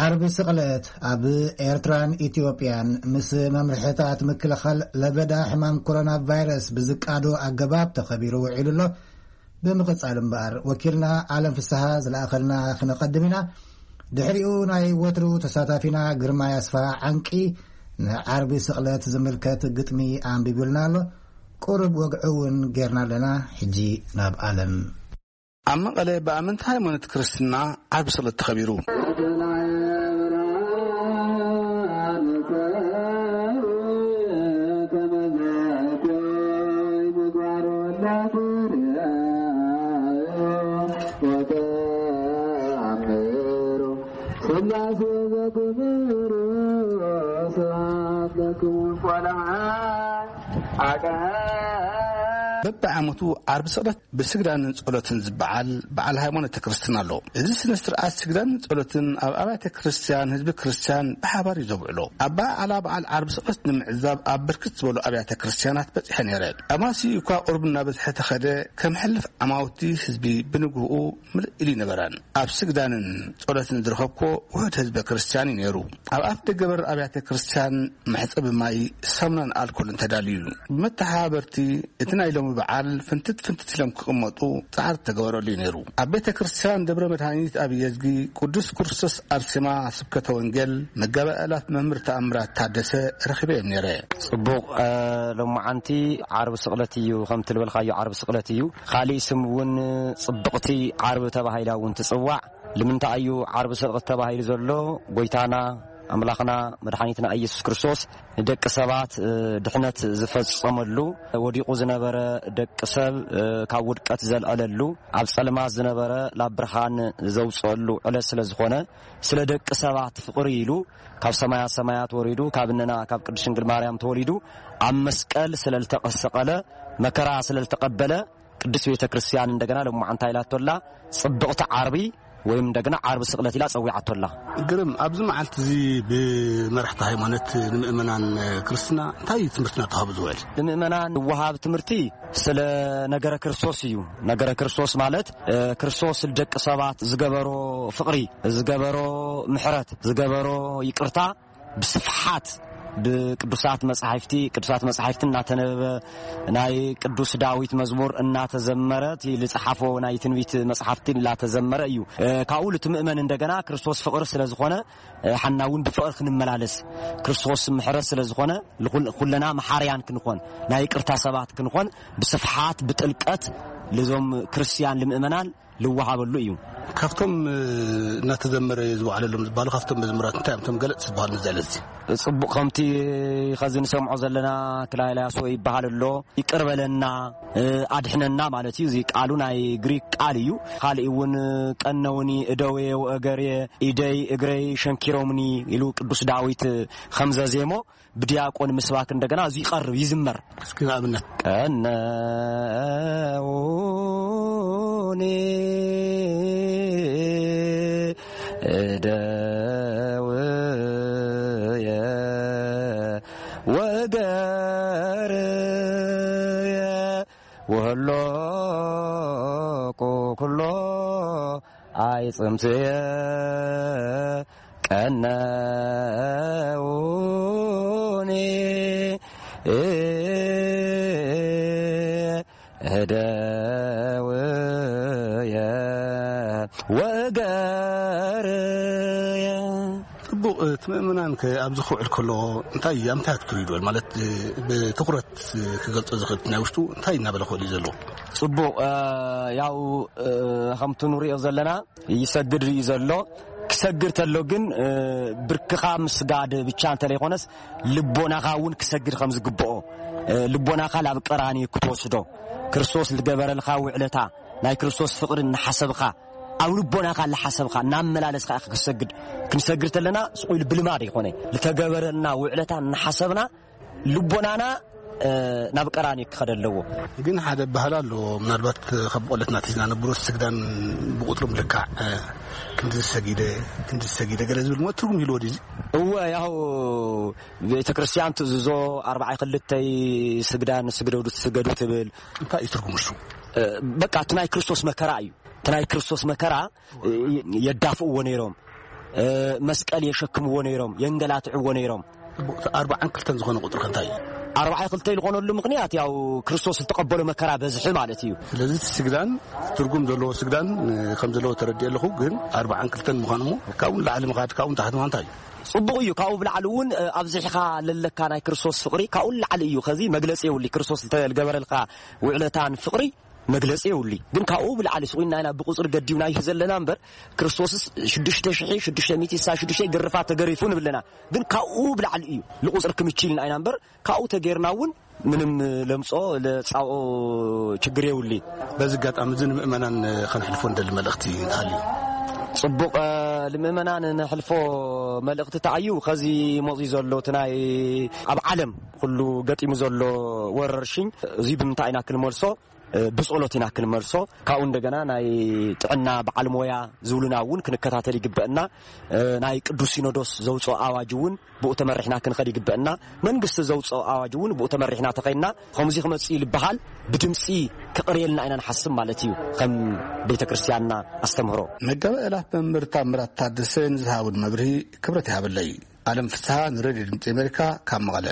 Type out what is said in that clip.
ዓርቢ ስቕለት ኣብ ኤርትራን ኢትዮጵያን ምስ መምርሕታት ምክልኻል ለበዳ ሕማም ኮሮና ቫይረስ ብዝቃዶ ኣገባብ ተኸቢሩ ውዒሉ ኣሎ። ብምቕጻል እምበኣር፣ ወኪልና ዓለም ፍስሃ ዝለኣኸልና ክነቐድም ኢና። ድሕሪኡ ናይ ወትሩ ተሳታፊና ግርማይ ኣስፋ ዓንቂ ንዓርቢ ስቕለት ዝምልከት ግጥሚ ኣንቢቡልና ኣሎ። ቁሩብ ወግዒ እውን ጌርና ኣለና። ሕጂ ናብ ዓለም። ኣብ መቐለ ብኣመንቲ ሃይማኖት ክርስትና ዓርቢ ስቕለት ተኸቢሩ። በብዓመቱ ዓርቢ ስቕለት ብስግዳንን ጸሎትን ዝበዓል በዓል ሃይማኖተ ክርስትና ኣሎ። እዚ ስነ ስርዓት ስግዳንን ጸሎትን ኣብ ኣብያተ ክርስቲያን ህዝቢ ክርስቲያን ብሓባር እዩ ዘብዕሎ። ኣበዓዕላ በዓል ዓርቢ ስቕለት ንምዕዛብ ኣብ ብርክት ዝበሉ ኣብያተ ክርስቲያናት በጺሐ ነይረ። ኣማሲ እኳ ቁሩብ እናበዝሐ ተኸደ፣ ከም ሕልፍ ዓማውቲ ህዝቢ ብንግህኡ ምልእ ኢሉ ይነበረን። ኣብ ስግዳንን ጸሎትን ዝረኸብኮ ውሑድ ህዝበ ክርስቲያን እዩ ነይሩ። ኣብ ኣፍ ደገ በር ኣብያተ ክርስቲያን መሕጸቢ ማይ፣ ሳሙናን ኣልኮልን ተዳልዩ እዩ። ብመተሓባበርቲ እቲ ናይ ሎሚ በዓል ፍንትት ፍንትት ኢሎም ክቕመጡ ጻዕሪ ተገበረሉ እዩ ነይሩ። ኣብ ቤተ ክርስቲያን ደብረ መድሃኒት ኣብ የዝጊ ቅዱስ ክርስቶስ ኣርሴማ ስብከተ ወንጌል መጋቢ ኣእላፍ መምህር ተኣምራት ታደሰ ረኺበ እዮም ነይረ። ጽቡቕ፣ እ፣ ሎማዓንቲ ዓርቢ ስቕለት እዩ፣ ከም ትልበልካዮ ዓርቢ ስቕለት እዩ። ካሊእ ስም እውን ጽብቕቲ ዓርቢ ተባሂላ እውን ትጽዋዕ። ልምንታይ እዩ ዓርቢ ስቕለት ተባሂሉ ዘሎ? ጎይታና ኣምላኽና መድሓኒትና ኢየሱስ ክርስቶስ ንደቂ ሰባት፣ እ፣ ድሕነት ዝፈጸመሉ፣ ወዲቑ ዝነበረ ደቂ ሰብ፣ እ፣ ካብ ውድቀት ዘልዐለሉ፣ ኣብ ጸልማት ዝነበረ ላብ ብርሃን ዘውጽአሉ ዕለት ስለ ዝኾነ፣ ስለ ደቂ ሰባት ፍቕሪ ኢሉ ካብ ሰማያት ሰማያት ወሪዱ፣ ካብ እነና ካብ ቅድስት ድንግል ማርያም ተወሊዱ፣ ኣብ መስቀል ስለ ዝተሰቐለ፣ መከራ ስለ ዝተቐበለ፣ ቅድስት ቤተ ክርስቲያን እንደገና ሎማዓንቲ ኢላቶላ ጽብቕቲ ዓርቢ ወይም እንደገና ዓርቢ ስቕለት ኢላ ጸዊዓቶላ። ግርም፣ ኣብዚ መዓልቲ እዚ ብመራሕቲ ሃይማኖት ንምእመናን ክርስትና እንታይ ትምህርቲ እናተዋህቡ ዝውዕል? ንምእመናን ዝወሃብ ትምህርቲ ስለ ነገረ ክርስቶስ እዩ። ነገረ ክርስቶስ ማለት፣ እ፣ ክርስቶስ ንደቂ ሰባት ዝገበሮ ፍቕሪ፣ ዝገበሮ ምሕረት፣ ዝገበሮ ይቅርታ ብስፍሓት ብቅዱሳት መጻሕፍቲ፣ ቅዱሳት መጻሕፍቲ እናተነበበ፣ ናይ ቅዱስ ዳዊት መዝሙር እናተዘመረ፣ እቲ ዝጸሓፎ ናይ ትንቢት መጽሓፍቲ እናተዘመረ እዩ። እ፣ ካብኡ ልትምእመን እንደገና ክርስቶስ ፍቕሪ ስለ ዝኾነ፣ እ፣ ሓና እውን ብፍቕሪ ክንመላለስ፣ ክርስቶስ ምሕረት ስለ ዝኾነ፣ ልኹል-፣ ኩለና መሓርያን ክንኾን፣ ናይ ይቅርታ ሰባት ክንኾን፣ ብስፍሓት፣ ብጥልቀት ልዞም ክርስትያን ልምእመናን ልወሃበሉ እዩ። ካብቶም፣ እ፣ እናተዘመረ ዝወዓለሎም ዝበሃሉ ካብቶም መዝሙራት እንታይ እዮም እቶም ገለጽ ዝበሃሉ ነዚ ዕለት እዚ? ጽቡቕ፣ ከምቲ ኸዚ ንሰምዖ ዘለና ክላይላሶ ይበሃል ኣሎ። ይቅር በለና፣ እ፣ ኣድሕነና ማለት እዩ። እዚ ቃሉ ናይ ግሪክ ቃል እዩ። ካልእ እውን ቀነውኒ እደውየ ወእገርየ፣ ኢደይ እግረይ ሸንኪሮምኒ ኢሉ ቅዱስ ዳዊት ከም ዘዜሞ ብዲያቆን ምስባክ እንደገና እዚ ይቐርብ፣ ይዝመር። እስኪ ንኣብነት። ቀነውኒ እደውየ ወእገርየ ወህሎቁ ኩሎ ኣይጽምትየ ቀነውኒ እደውየ ወእገርየ። ጽቡቕ፣ እቲ ምእመናን ከ ኣብዚ ክውዕል ከሎ እንታይ፣ ኣብ እንታይ ኣትኩሩ ይድወል? ማለት፣ ብትኹረት ክገልጾ ዝኽእል ናይ ውሽጡ እንታይ እናበለ ክውዕል እዩ ዘለዎ? ጽቡቕ፣ እ፣ ያው፣ እ፣ ከምቲ ንሪኦ ዘለና ይሰግድ እዩ ዘሎ። ክሰግድ ተሎ ግን፣ እ፣ ብርክኻ ምስጋድ ብቻ እንተለይኮነስ ልቦናኻ እውን ክሰግድ ከም ዝግብኦ፣ እ፣ ልቦናኻ ላብ ቀራንዮ ክትወስዶ፣ ክርስቶስ ዝገበረልካ ውዕለታ፣ ናይ ክርስቶስ ፍቕሪ እናሓሰብኻ፣ ኣብ ልቦናኻ እናሓሰብካ እናመላለስካ ኢኻ ክትሰግድ። ክንሰግድ ተለና ስቕ ኢሉ ብልማድ ኣይኮነ፣ ዝተገበረልና ውዕለታ እናሓሰብና ልቦናና፣ እ፣ ናብ ቀራንዮ ክኸደ ኣለዎ። ግን ሓደ ባህል ኣሎ፣ ምናልባት ካብ ቆለትና ኣትሒዝና ነብሮ ስግዳን ብቁጽሪ ምልካዕ፣ እ፣ ክንዲ ዝሰጊደ፣ ክንዲ ዝሰጊደ ገለ ዝብል ሞ ትርጉም ይህልዎ ድዩ እዚ? እወ፣ ያው ቤተ ክርስቲያን ትእዝዞ ኣርባዓይ ክልተይ ስግዳን ስግደዱ ትስገዱ ትብል። እንታይ እዩ ትርጉሙ እሱ? እ፣ በቃ እቲ ናይ ክርስቶስ መከራ እዩ። እቲ ናይ ክርስቶስ መከራ፣ እ፣ የዳፍእዎ ነይሮም። መስቀል የሸክምዎ ነይሮም፣ የንገላትዕዎ ነይሮም። ኣርባዓን ክልተን ዝኾነ ቁፅሪ ከ እንታይ እዩ? ኣርባዓ ክልተ ዝኾነሉ ምኽንያት ያው ክርስቶስ ዝተቐበሎ መከራ በዝሒ ማለት እዩ። ስለዚ እቲ ስግዳን ትርጉም ዘለዎ ስግዳን ከም ዘለዎ ተረዲእ ኣለኹ። ግን ኣርባዓን ክልተን ምዃኑ እሞ ካብኡ ንላዕሊ ምኻድ ካብኡ ንታሕቲ ምዃን እንታይ እዩ? ጽቡቕ እዩ። ካብኡ ብላዕሊ እውን ኣብዚሕኻ ለለካ ናይ ክርስቶስ ፍቕሪ ካብኡ ንላዕሊ እዩ። ከዚ መግለጺ የብሉ። ክርስቶስ ዝተገበረልካ ውዕለታን ፍቕሪ መግለጺ የብሉ። ግን ካብኡ ብላዕሊ ስቑና ኢና ብቁጽሪ ገዲብናዮ ዘለና እምበር ክርስቶስስ ሽዱሽተ ሽሕ ሽዱሽተ ሚእቲ ስሳ ሽዱሽተ ግርፋት ተገሪፉ ንብለና። ግን ካብኡ ብላዕሊ እዩ። ልቁጽሪ ክምችልና ኢና እምበር ካብኡ ተጌርና እውን ምንም ለምጾ ለጻብኦ ችግር የብሉ። በዚ ኣጋጣሚ እዚ ንምእመናን ከነሕልፎ እንደሊ መልእኽቲ እንተሃልዩ? ጽቡቕ ንምእመናን ነሕልፎ መልእኽቲ ተኣዩ ከዚ መጺኡ ዘሎ እቲ ናይ ኣብ ዓለም ኩሉ ገጢሙ ዘሎ ወረርሽኝ እዚ ብምንታይ ኢና ክንመልሶ? ብጸሎት ኢና ክንመልሶ። ካብኡ እንደገና ናይ ጥዕና በዓል ሞያ ዝብሉና እውን ክንከታተል ይግበአና። ናይ ቅዱስ ሲኖዶስ ዘውፅኦ ኣዋጅ እውን ብኡ ተመሪሕና ክንኸድ ይግበአና። መንግስቲ ዘውፅኦ ኣዋጅ እውን ብኡ ተመሪሕና ተኸይና ከምዚ ክመፅእ ይልበሃል ብድምፂ ክቕርየልና ኢና ንሓስብ ማለት እዩ። ከም ቤተ ክርስቲያንና ኣስተምህሮ። መጋቢ ኣእላፍ መምህር ታምራት ታደሰ ንዝሃቡን መብርሂ ክብረት ይሃበለይ። ኣለም ፍስሃ ንሬድዮ ድምፂ ኣሜሪካ ካብ መቐለ።